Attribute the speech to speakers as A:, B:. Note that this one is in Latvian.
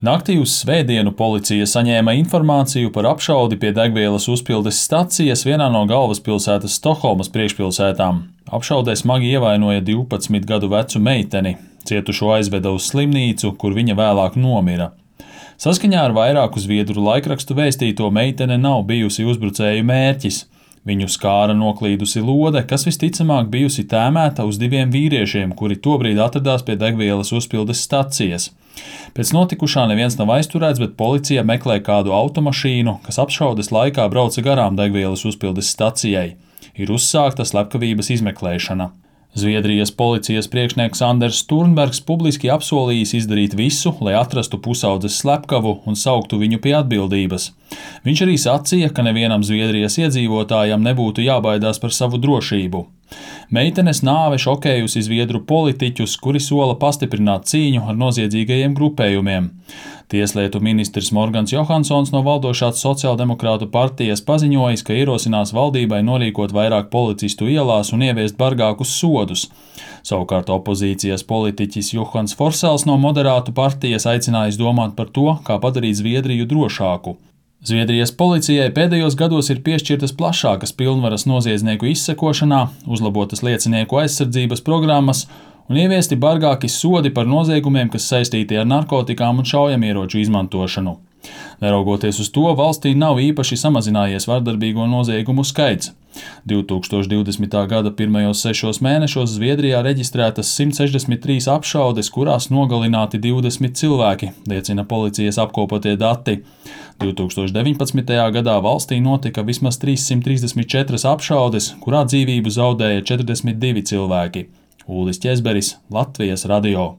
A: Naktī uz svētdienu policija saņēma informāciju par apšaudi pie degvielas uzpildes stacijas vienā no galvaspilsētas Stokholmas priekšpilsētām. Apšaudē smagi ievainoja 12 gadu vecu meiteni. Cietušo aizveda uz slimnīcu, kur viņa vēlāk nomira. Saskaņā ar vairāku zviedru laikrakstu vēstīto, meitene nav bijusi uzbrucēju mērķis. Viņu skāra noklīdusi lode, kas visticamāk bijusi tēmēta uz diviem vīriešiem, kuri tobrīd atradās pie degvielas uzpildes stacijas. Pēc notikušā neviens nav aizturēts, bet policija meklē kādu automašīnu, kas apšaudes laikā brauca garām degvielas uzpildes stacijai. Ir uzsākta slepkavības izmeklēšana. Zviedrijas policijas priekšnieks Anders Sturnbergs publiski apsolījis izdarīt visu, lai atrastu pusaudzes slepkavu un sauktu viņu pie atbildības. Viņš arī sacīja, ka nevienam Zviedrijas iedzīvotājam nebūtu jābaidās par savu drošību. Meitenes nāve šokējusi zviedru politiķus, kuri sola pastiprināt cīņu ar noziedzīgajiem grupējumiem. Tieslietu ministrs Morgans Johansons no valdošās sociāldemokrātu partijas paziņojis, ka ierosinās valdībai norīkot vairāk policistu ielās un ieviest bargākus sodus. Savukārt opozīcijas politiķis Johans Forsels no moderātu partijas aicinājis domāt par to, kā padarīt Zviedriju drošāku. Zviedrijas policijai pēdējos gados ir piešķirtas plašākas pilnvaras noziedznieku izsekošanā, uzlabotas liecinieku aizsardzības programmas un ieviesti bargāki sodi par noziegumiem, kas saistīti ar narkotikām un šaujamieroču izmantošanu. Neraugoties uz to, valstī nav īpaši samazinājies vardarbīgo noziegumu skaits. 2020. gada pirmajos 6 mēnešos Zviedrijā reģistrētas 163 apšaudes, kurās nogalināti 20 cilvēki, liecina policijas apkopotie dati. 2019. gadā valstī notika vismaz 334 apšaudes, kurā dzīvību zaudēja 42 cilvēki. Ulris Ķezberis, Latvijas radio.